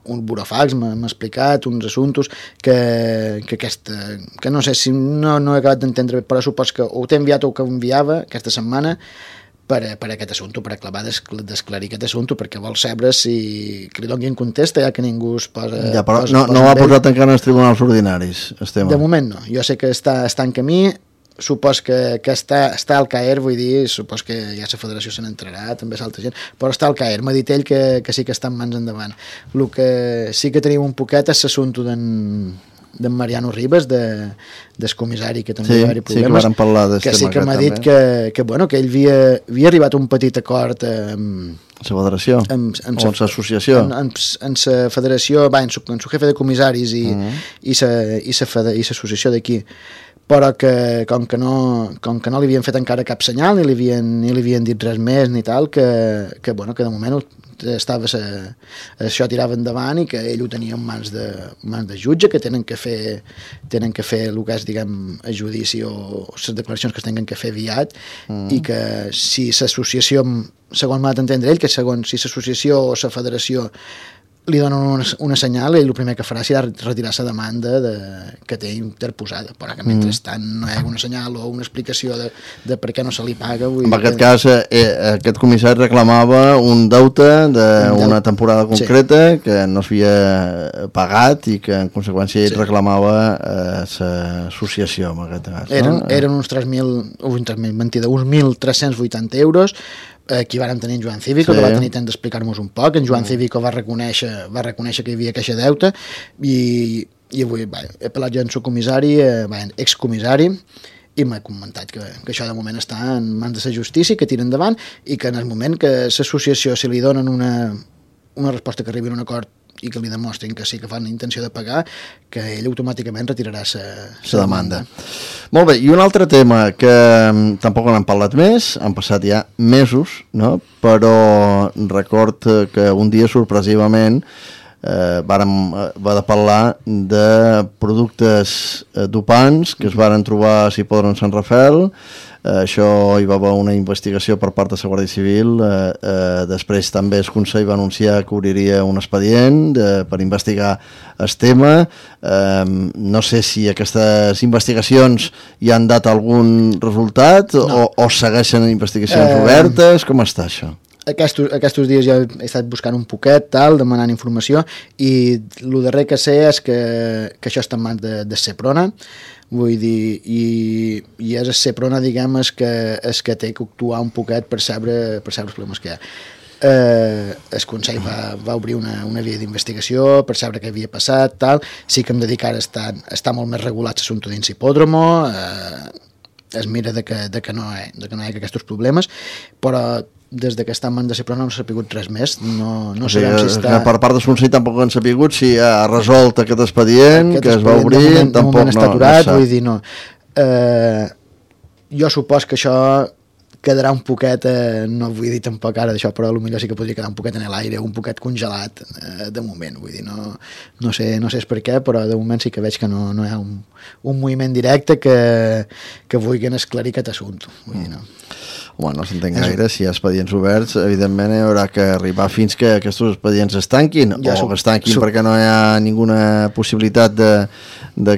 C: un burofax, m'ha explicat uns assumptes que no sé si no he acabat d'entendre, però supos que ho t'he enviat o que ho enviava aquesta setmana per aquest assumpte, per acabar d'esclarir aquest assumpte, perquè vol saber si que li donin contesta, ja que ningú es posa...
B: Ja, però no ho ha posat encara en els tribunals ordinaris, el tema.
C: De moment no, jo sé que està en camí, supos que està al CAER, vull dir, supos que ja la federació se n'entrarà, també és altra gent, però està al CAER, m'ha dit ell que sí que està en mans endavant. El que sí que tenim un poquet és l'assumpte d'en Mariano Ribes, del comissari, que també va haver problemes,
B: sí que parlar
C: que sí que m'ha dit que ell havia arribat a un petit acord amb
B: la federació o amb l'associació,
C: en la federació, en su jefe de comissaris i l'associació d'aquí, però que com que no li havien fet encara cap senyal, ni li havien dit res més ni tal, que de moment això tirava endavant i que ell ho tenia en mans de jutge, que tenen que fer el que és, diguem, el judici o les declaracions que es tenen que fer aviat, i que si l'associació, segons m'ha d'entendre ell, que si l'associació o la federació li donen una senyal, ell el primer que farà serà retirar la demanda que té interposada, però que mentrestant no hi ha una senyal o una explicació de per què no se li paga.
B: En aquest cas, aquest comissari reclamava un deute d'una temporada concreta que no s'havia pagat i que en conseqüència ell reclamava l'associació, en aquest cas.
C: Eren uns 1.380 euros, aquí vàrem tenir en Joan Cívico, que va tenir temps d'explicar-nos un poc. En Joan Cívico va reconèixer que hi havia queixa deute, i avui he parlat jo amb el comissari, excomissari, i m'ha comentat que això de moment està en mans de la justícia, que tira endavant, i que en el moment que l'associació, si li donen una resposta que arribi a un acord i que li demostrin que sí que fan intenció de pagar, que ell automàticament retirarà la demanda.
B: Molt bé, i un altre tema que tampoc n'hem parlat més, han passat ja mesos, no? Però record que un dia sorpresivament va de parlar de productes dopants que es varen trobar a Sipòdrom Sant Rafael. Això hi va haver una investigació per part de la Guàrdia Civil, després també el Consell va anunciar que obriria un expedient per investigar el tema. No sé si aquestes investigacions hi han dat algun resultat o segueixen investigacions obertes, com està això?
C: Aquests dies ja he estat buscant un poquet, demanant informació, i el darrer que sé és que això està en mans de Seprona, vull dir, i és Seprona, diguem, és que té que actuar un poquet per saber els problemes que hi ha. El Consell va obrir una via d'investigació per saber què havia passat, tal. Sí que hem de dir que ara està molt més regulat l'assumpte dins Hipòdromo, es mira de que no hi ha aquests problemes, però des que està en mans de Seprona no s'ha sapigut res més. No sabem si està...
B: Per part del Consell tampoc han sapigut si ha resolt aquest expedient que es va obrir, tampoc
C: està aturat, vull dir, no. Jo supos que això quedarà un poquet, no vull dir tampoc ara d'això, però potser sí que podria quedar un poquet en l'aire, un poquet congelat de moment, vull dir, no sé per què, però de moment sí que veig que no hi ha un moviment directe que vulguin esclarir aquest assumpte, vull dir, no.
B: Home, no s'entén gaire, si hi ha expedients oberts, evidentment hi haurà que arribar fins que aquests expedients es tanquin, o que es tanquin perquè no hi ha ninguna possibilitat de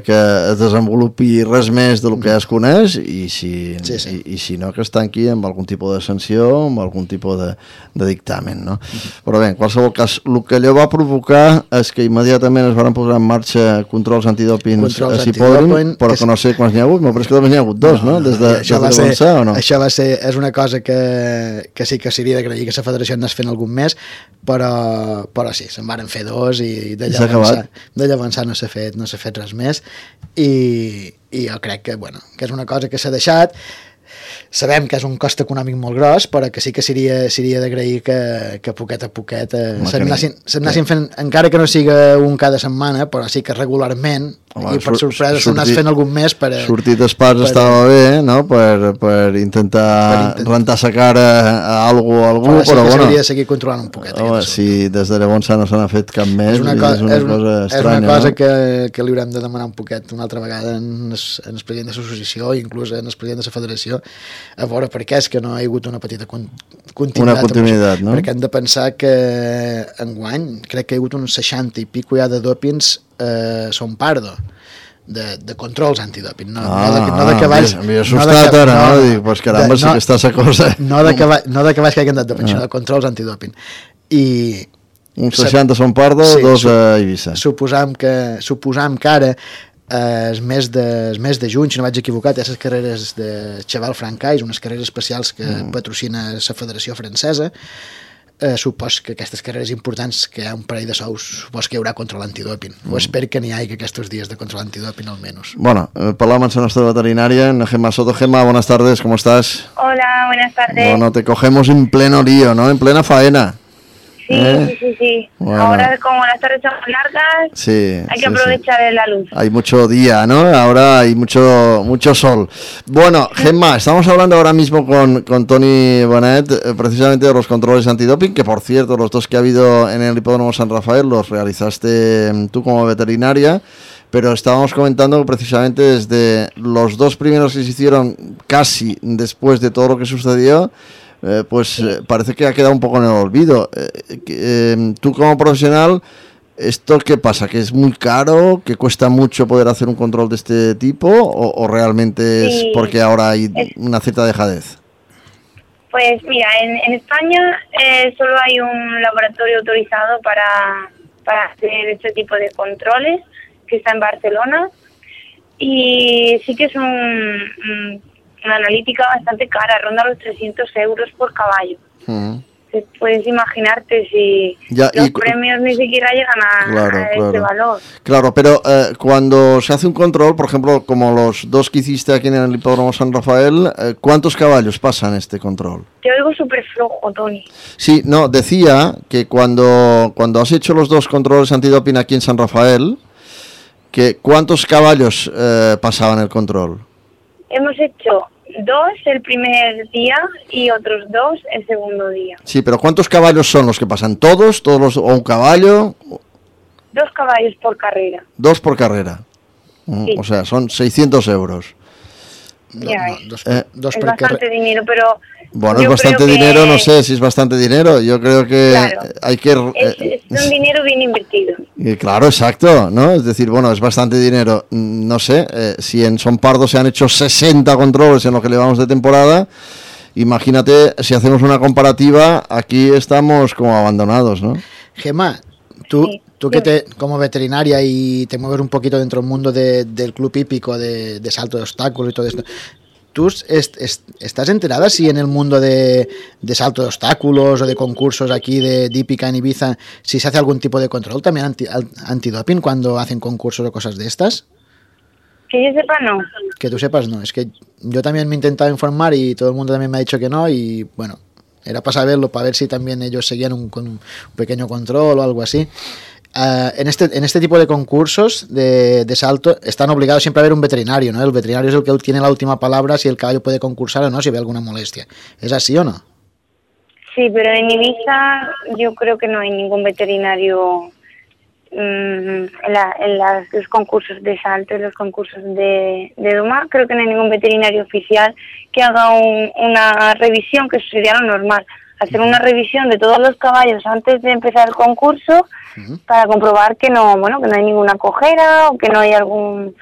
B: que es desenvolupi res més del que ja es coneix, i si no, que es tanqui amb algun tipus de sanció, amb algun tipus de dictamen, no? Però bé, en qualsevol cas, el que allò va provocar és que immediatament es van posar en marxa controls antidòpings a Hipòdrom, però que no sé quants n'hi ha hagut, m'ha pareix que només n'hi ha hagut dos, no? Des de començar, o no?
C: Això va ser, és una cosa que sí que seria d'agrair que la federació anés fent algun més, però sí, se'n varen fer dos i de llavors no s'ha fet res més, i jo crec que és una cosa que s'ha deixat. Sabem que és un cost econòmic molt gros, però que sí que seria d'agrair que poquet a poquet s'anessin fent, encara que no siga un cada setmana, però sí que regularment, i per sorpresa s'anés fent algun més per...
B: Sortir d'espars estava bé, no?, per intentar rentar sa cara a algú, però
C: sí que s'hauria de seguir controlant un poquet.
B: Si des de llavors no se n'ha fet cap més, és una cosa estranya.
C: És una cosa que li haurem de demanar un poquet una altra vegada en el president de l'associació, inclús en el president de la federació, a veure per què és que no hi ha hagut una petita
B: continuïtat, no?
C: Perquè hem de pensar que enguany crec que hi ha hagut uns 60 i pico ja de dòpings Son Pardo, de controls antidòping, no de cavalls.
B: M'he assustat ara, no? Dic, pues caramba, sí que està sa cosa.
C: No de cavalls que hagin anat dòping, sinó de controls antidòping. I
B: uns 60 Son Pardo, dos a Eivissa.
C: Suposam que ara el mes de juny, si no vaig equivocat, hi ha les carreres de Cheval Francais, unes carreres especials que patrocina la Federació Francesa. Supos que aquestes carreres importants, que hi ha un parell de sous, supos que hi haurà control antidòping. O espero que n'hi hagi aquests dies de control antidòping almenys.
B: Bueno, hablamos con nuestra veterinaria, Gemma Soto. Gemma, buenas tardes, ¿cómo estás?
F: Hola, buenas tardes.
B: Bueno, te cogemos en pleno lío, ¿no? En plena faena.
F: Sí.
B: Bueno.
F: Ahora, como las tardes son largas,
B: Sí,
F: hay que aprovechar la luz.
B: Hay mucho día, ¿no? Ahora hay mucho sol. Bueno, Gemma, estamos hablando ahora mismo con Toni Bonet, precisamente de los controles antidoping, que por cierto, los dos que ha habido en el Hipódromo San Rafael los realizaste tú como veterinaria, pero estábamos comentando que precisamente desde los dos primeros que se hicieron casi después de todo lo que sucedió, parece que ha quedado un poco en el olvido. Tú como profesional, ¿esto qué pasa? ¿Que es muy caro? ¿Que cuesta mucho poder hacer un control de este tipo? ¿O realmente es porque ahora hay una cierta dejadez?
F: Pues mira, en España solo hay un laboratorio autorizado para hacer este tipo de controles, que está en Barcelona, y sí que es una analítica bastante cara, ronda los 300 euros por caballo. Puedes imaginarte si los premios ni siquiera llegan a este valor.
B: Claro, pero cuando se hace un control, por ejemplo, como los dos que hiciste aquí en el Hipódromo San Rafael, ¿cuántos caballos pasan este control?
F: Te oigo súper flojo, Toni.
B: Sí, no, decía que cuando has hecho los dos controles antidoping aquí en San Rafael, que ¿cuántos caballos pasaban el control?
F: Hemos hecho 2 el primer día y otros 2 el segundo día.
B: Sí, pero ¿cuántos caballos son los que pasan? ¿Todos o un caballo?
F: 2 caballos por carrera.
B: 2 por carrera.
F: Sí.
B: O sea, son 600 euros.
F: Es bastante dinero, pero...
B: Bueno, es bastante dinero, no sé si es bastante dinero. Yo creo que hay que...
F: es un dinero bien invertido.
B: Claro, exacto, ¿no? Es decir, bueno, es bastante dinero. No sé, si en Son Pardo se han hecho 60 controles en lo que llevamos de temporada, imagínate si hacemos una comparativa, aquí estamos como abandonados, ¿no?
C: Gemma, tú que como veterinaria y te mueves un poquito dentro del mundo del club hípico, de salto de obstáculos y todo esto, ¿tú estás enterada si en el mundo de salto de obstáculos o de concursos aquí de hípica en Ibiza, si se hace algún tipo de control también antidoping cuando hacen concursos o cosas de estas?
F: Que yo sepa, no.
C: Que tú sepas, no. Es que yo también me he intentado informar y todo el mundo también me ha dicho que no, y bueno, era para saberlo, para ver si también ellos seguían con un pequeño control o algo así. En este tipo de concursos de salto están obligados siempre a haber un veterinario, ¿no? El veterinario es el que tiene la última palabra si el caballo puede concursar o no, si ve alguna molestia. ¿Es así o no?
F: Sí, pero en Ibiza yo creo que no hay ningún veterinario en los concursos de salto, en los concursos de doma. Creo que no hay ningún veterinario oficial que haga una revisión, que eso sería lo normal. Hacer una revisión de todos los caballos antes de empezar el concurso para comprobar que no hay ninguna cojera o que no hay algún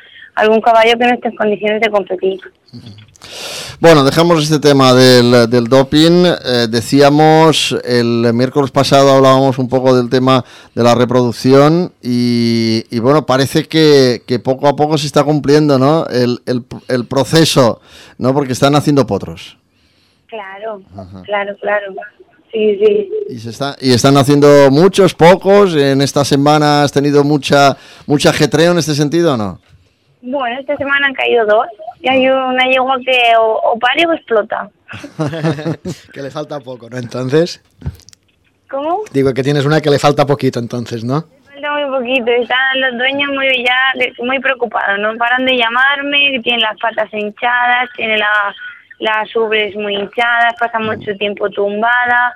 F: caballo que no esté en condiciones de competir.
B: Bueno, dejamos este tema del doping. Decíamos, el miércoles pasado hablábamos un poco del tema de la reproducción y bueno, parece que poco a poco se está cumpliendo, ¿no? El proceso, ¿no? Porque están haciendo potros.
F: Claro. Sí.
B: Y están haciendo muchos, pocos. En esta semana has tenido mucha ajetreo en este sentido, ¿o no?
F: Bueno, esta semana han caído 2 y hay una yegua que o pare o explota.
C: Que le falta poco, ¿no? Entonces.
F: ¿Cómo?
C: Digo que tienes una que le falta poquito, entonces, ¿no?
F: Falta muy poquito. Están los dueños muy preocupados. No paran de llamarme, que tienen las patas hinchadas, tienen las ubres muy hinchadas, pasa mucho tiempo tumbada.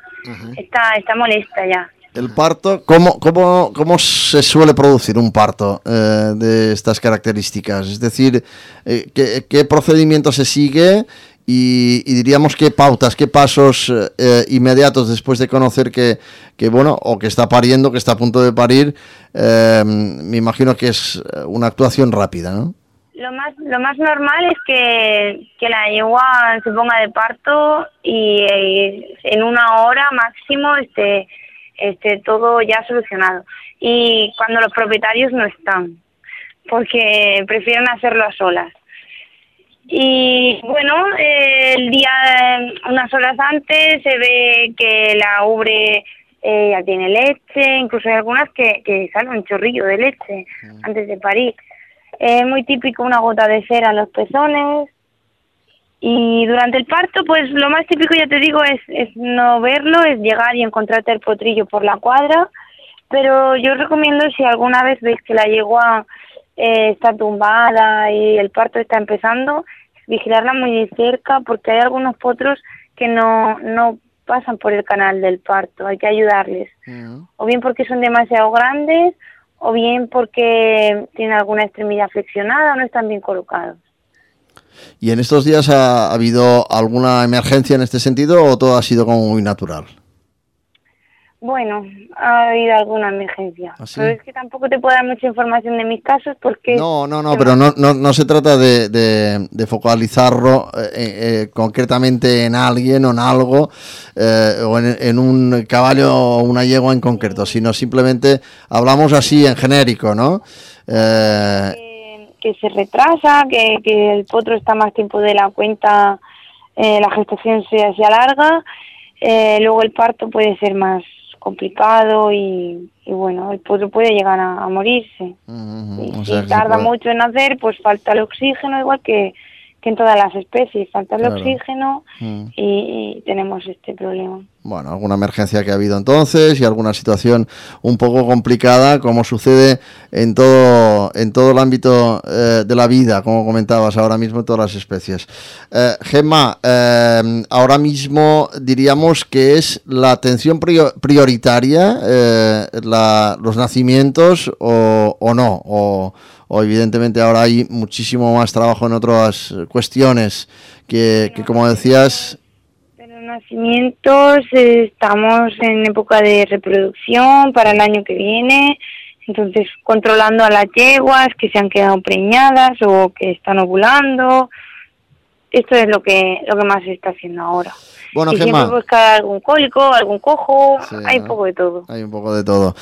F: Está molesta ya.
B: El parto, ¿cómo se suele producir un parto de estas características? Es decir, ¿qué procedimiento se sigue y diríamos qué pautas, qué pasos inmediatos después de conocer que bueno, o que está pariendo, que está a punto de parir? Me imagino que es una actuación rápida, ¿no?
F: Lo más normal es que la yegua se ponga de parto y en 1 hora máximo esté todo ya solucionado. Y cuando los propietarios no están, porque prefieren hacerlo a solas. Y bueno, el día, unas horas antes, se ve que la ubre ya tiene leche, incluso hay algunas que sale un chorrillo de leche antes de parir. Es muy típico una gota de cera en los pezones Y durante el parto, pues lo más típico, ya te digo, es no verlo, es llegar y encontrarte el potrillo por la cuadra, pero yo recomiendo, si alguna vez veis que la yegua está tumbada y el parto está empezando, vigilarla muy de cerca, porque hay algunos potros que no pasan por el canal del parto, hay que ayudarles, o bien porque son demasiado grandes, o bien porque tienen alguna extremidad flexionada o no están bien colocados.
B: ¿Y en estos días ha habido alguna emergencia en este sentido o todo ha sido como muy natural?
F: Bueno, ha habido alguna emergencia.
B: ¿Ah, sí?
F: Pero es que tampoco te puedo dar mucha información de mis casos porque...
B: No, pero no se trata de focalizarlo concretamente en alguien o en algo, o en un caballo o una yegua en concreto, sino simplemente hablamos así en genérico, ¿no?
F: Que se retrasa, que el potro está más tiempo de la cuenta, la gestación se alarga, luego el parto puede ser más complicado y bueno, el potro puede llegar a morirse. Y si tarda mucho en nacer, pues falta el oxígeno, igual que en todas las especies, falta el oxígeno y tenemos este problema.
B: Bueno, alguna emergencia que ha habido entonces y alguna situación un poco complicada, como sucede en todo el ámbito de la vida, como comentabas ahora mismo en todas las especies. Gemma, ahora mismo diríamos que es la atención prioritaria los nacimientos o no, o evidentemente ahora hay muchísimo más trabajo en otras cuestiones que como decías...
F: Nacimientos, estamos en época de reproducción para el año que viene, entonces controlando a las yeguas que se han quedado preñadas o que están ovulando. Esto es lo que más se está haciendo ahora.
B: Bueno,
F: y
B: Gemma,
F: siempre buscar algún cólico, algún cojo, sí, hay un poco de todo.
B: Hay un poco de todo.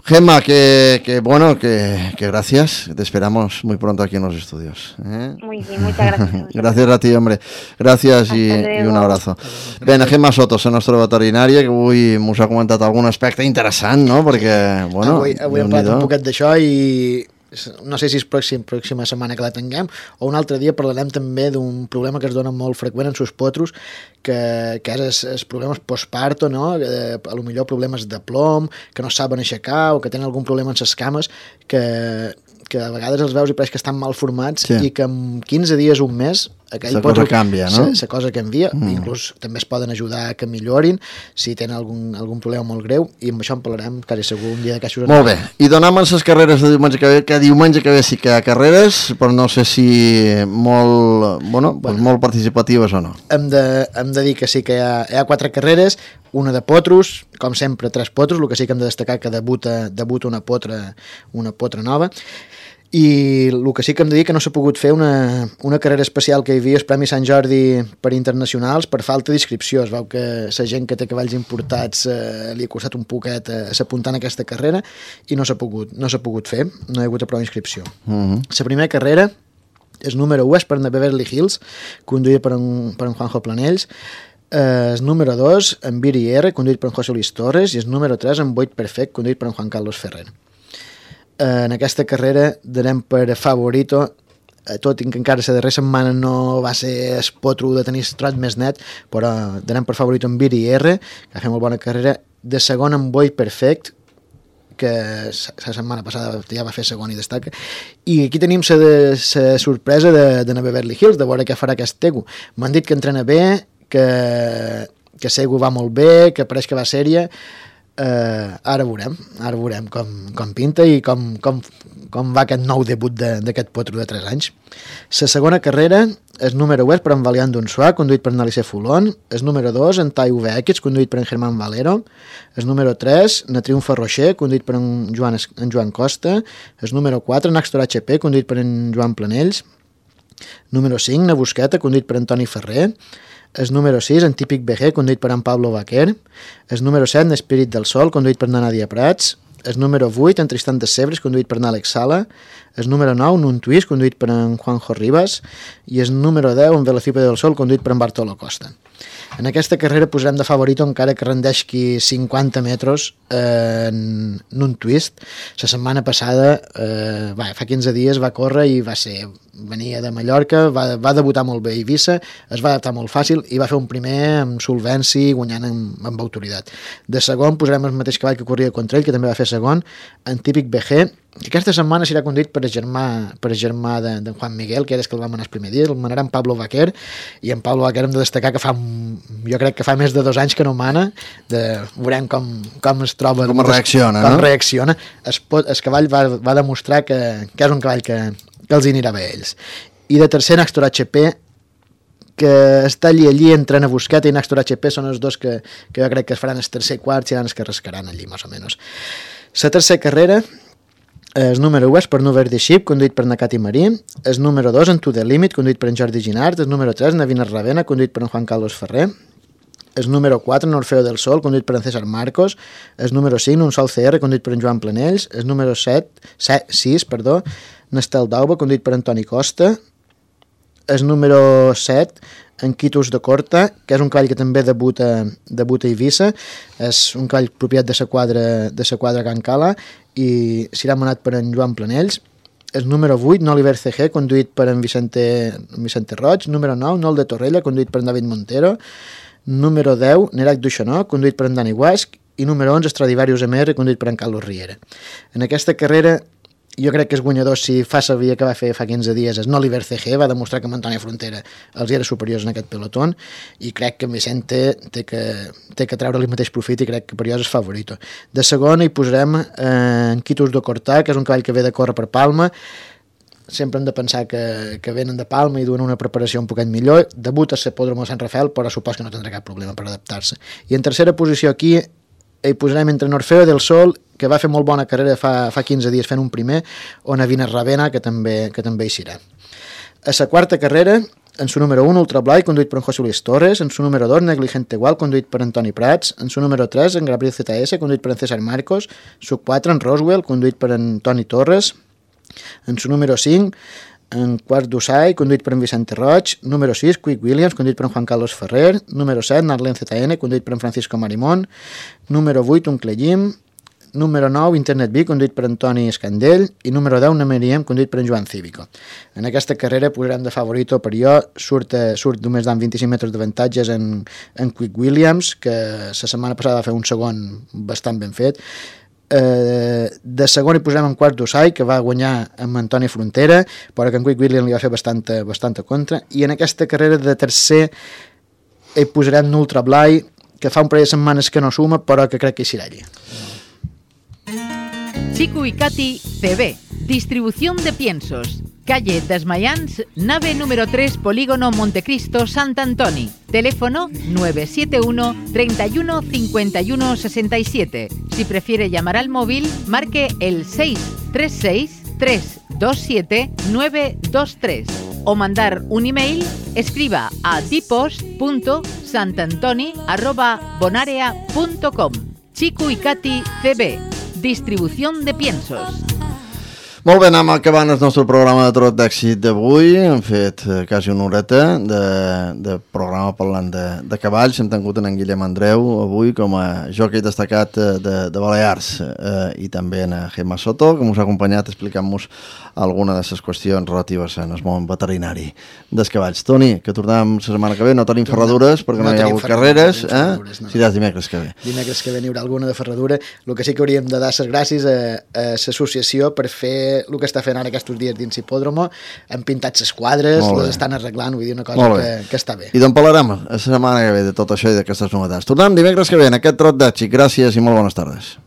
B: Gemma, que gracias. Te esperamos muy pronto aquí en los estudios.
F: Muy bien, muchas gracias.
B: Gràcies a ti, hombre. Gràcies i un abrazo. Bé, Gemma Sotos, la nostra veterinària, que avui mos ha comentat algun aspecte interessant, no? Perquè, bueno...
C: Avui hem parlat un poquet d'això i no sé si és pròxima setmana que la tinguem o un altre dia parlarem també d'un problema que es dona molt freqüent en sus potros, que és els problemes postparto, no? A lo millor problemes de plom, que no saben aixecar o que tenen algun problema amb les cames, que a vegades els veus i pareix que estan mal formats, sí, i que en 15 dies, un mes, aquell
B: cosa canvia, no?
C: La cosa canvia, inclús també es poden ajudar a que millorin si tenen algun problema molt greu, i amb això en parlarem quasi segur un dia de caixos.
B: Molt bé, i donam les carreres de diumenge que ve, que diumenge que ve sí que hi ha carreres, però no sé si molt participatives o no. Hem
C: de dir que sí que hi ha 4 carreres, una de potros, com sempre 3 potros, el que sí que hem de destacar que debuta una potra nova, i el que sí que hem de dir que no s'ha pogut fer una carrera especial que hi havia, el Premi Sant Jordi per internacionals, per falta d'inscripció. Es veu que la gent que té cavalls importats li ha costat un poquet s'apuntar en aquesta carrera i no s'ha pogut fer, no hi ha hagut prou inscripció. La primera carrera, el número 1 és per la Beverly Hills, conduïda per en Juanjo Planells, el número 2 en Viri R, conduït per en José Luis Torres, i el número 3 en Boit Perfect, conduït per en Juan Carlos Ferrer. En aquesta carrera donem per favorito, tot i que encara la darrera setmana no va ser el potro de tenir el trot més net, però donem per favorito en Viri R, que ha fet molt bona carrera, de segon en Boit Perfect, que la setmana passada ja va fer segon i destaca, i aquí tenim la sorpresa de na Beverly Hills, de veure què farà aquest tegu. M'han dit que entrena bé, que Segu va molt bé, que pareix que va sèria. Ara veurem com pinta i com va aquest nou debut d'aquest potro de 3 anys. La segona carrera, el número 1 per en Valiant d'Unsuà, conduït per en Alice Fulon, el número 2 en Tai UVX, conduït per en Germán Valero, el número 3 na Triunfa Rocher, conduït per en Joan Costa, el número 4 en Axtor HP, conduït per en Joan Planells, número 5 na Busqueta, conduït per en Toni Ferrer, el número 6 en Típic BG, conduït per en Pablo Baquer, el número 7 en Espírit del Sol, conduït per en Nadia Prats, el número 8 en Tristan de Sebres, conduït per en Àlex Sala, el número 9 en Un Twist, conduït per en Juanjo Ribas, i el número 10 en Velocípede del Sol, conduït per en Bartolo Costa. En aquesta carrera posarem de favorito encara que rendeixi 50 metres en Un Twist. La setmana passada, fa 15 dies, va córrer i va ser venia de Mallorca, va debutar molt bé a Eivissa, es va adaptar molt fàcil i va fer un primer amb solvència, guanyant amb autoritat. De segon posarem el mateix cavall que corria contra ell, que també va fer segon, en Típic BG, que aquesta setmana serà conduït per germà de Juan Miguel, que era el que el vam anar el primer dia, el manarà en Pablo Vaquer, i en Pablo Vaquer hem de destacar que jo crec que fa més de 2 anys que no mana, veurem com es troba,
B: com reacciona,
C: com reacciona. El cavall va demostrar que és un cavall que els anirà bé a ells. I de tercer, Nàxtor HP, que està allí entre Busqueta i Nàxtor HP, són els dos que jo crec que es faran el tercer i quart, seran els que rascaran allí, més o menys. La tercera carrera, el número 1 és per Nuver de Ship, conduït per Nakati Marí, el número 2 en To The Limit, conduït per en Jordi Ginart, el número 3 Navina Ravena, conduït per en Juan Carlos Ferrer, el número 4 en Orfeo del Sol, conduït per en César Marcos, el número 5 Un Sol CR, conduït per en Joan Planells, el número 6 Nestel d'Auba, conduït per Antoni Costa, el número 7 en Quitus de Corta, que és un cavall que també debuta a Eivissa, és un cavall propiet de la quadra Can Cala i serà manat per en Joan Planells. El número 8, Oliver CG, conduït per en Vicente Roig. Número 9, Nol de Torrella, conduït per en David Montero. Número 10, Nerac Duixanó, conduït per en Dani Guasc. I número 11, Stradivarius MR, conduït per en Carlos Riera. En aquesta carrera, jo crec que és guanyador, si fa servir que va fer fa 15 dies, és Oliver CG, va demostrar que amb Antònia Frontera els era superiors en aquest pelotón, i crec que en Vicente té que treure-li el mateix profit, i crec que per jo és favorito. De segon hi posarem en Quitus de Cortà, que és un cavall que ve de córrer per Palma. Sempre hem de pensar que venen de Palma i duen una preparació un poquet millor. Debuta a l'Hipòdromo de Sant Rafael, però supos que no tindrà cap problema per adaptar-se. I en tercera posició aquí hi posarem entre Orfeo del Sol, que va fer molt bona carrera fa 15 dies fent un primer, o Navina Ravena, que també hi serà. A la quarta carrera, en su número 1, Ultra Blai, conduït per en José Luis Torres, en su número 2, Negligente Igual, conduït per Antoni Prats, en su número 3, en Gabriel ZS, conduït per en César Marcos, su 4, en Roswell, conduït per en Toni Torres, en su número 5, en Quart d'Usai, conduït per en Vicente Roig, número 6, Quick Williams, conduït per en Juan Carlos Ferrer, número 7, Narlen ZN, conduït per en Francisco Marimón, número 8, un Clegim, número 9, Internet B, conduït per Antoni Escandell, i número 10, Nameriem, conduït per en Joan Cívico. En aquesta carrera posarem de favorito per jo, surt només d'en 25 metres d'avantatges en Quick Williams, que la setmana passada va fer un segon bastant ben fet. De segon hi posarem en Quart d'Usai, que va guanyar amb Antoni Frontera, però que en Quick Williams li va fer bastanta contra, i en aquesta carrera de tercer hi posarem Ultra Blai, que fa un parell de setmanes que no suma, però que crec que hi serà allí.
D: Chico y Katy CB, distribución de piensos, calle Desmayans, nave número 3, Polígono Montecristo, Sant Antoni. Teléfono 971 31 51 67. Si prefiere llamar al móvil, marque el 636 327 923 o mandar un email, escriba a dipos.santantoni@bonarea.com. Chico y Katy CB, distribución de piensos.
B: Molt bé, anem acabant el nostre programa de Trot d'Èxit d'avui. Hem fet quasi una horeta de programa parlant de cavalls. Hem tingut en Guillem Andreu avui com a jockey destacat de Balears i també en Gemma Soto, que ens ha acompanyat explicant-nos alguna de les qüestions relatives en el món veterinari dels cavalls. Toni, que tornem la setmana que ve, no tenim ferradures perquè no hi ha hagut carreres, seràs dimecres que ve.
C: Dimecres que ve n'hi haurà alguna de ferradura. El que sí que hauríem de dar les gràcies a l'associació per fer el que està fent ara aquests dies dins l'hipòdromo. Han pintat les quadres, les estan arreglant, vull dir, una cosa que està bé.
B: I d'on parlarem la setmana que ve de tot això i d'aquestes novetats. Tornem dimecres que ve en aquest Trot d'Èxit. Gràcies i molt bones tardes.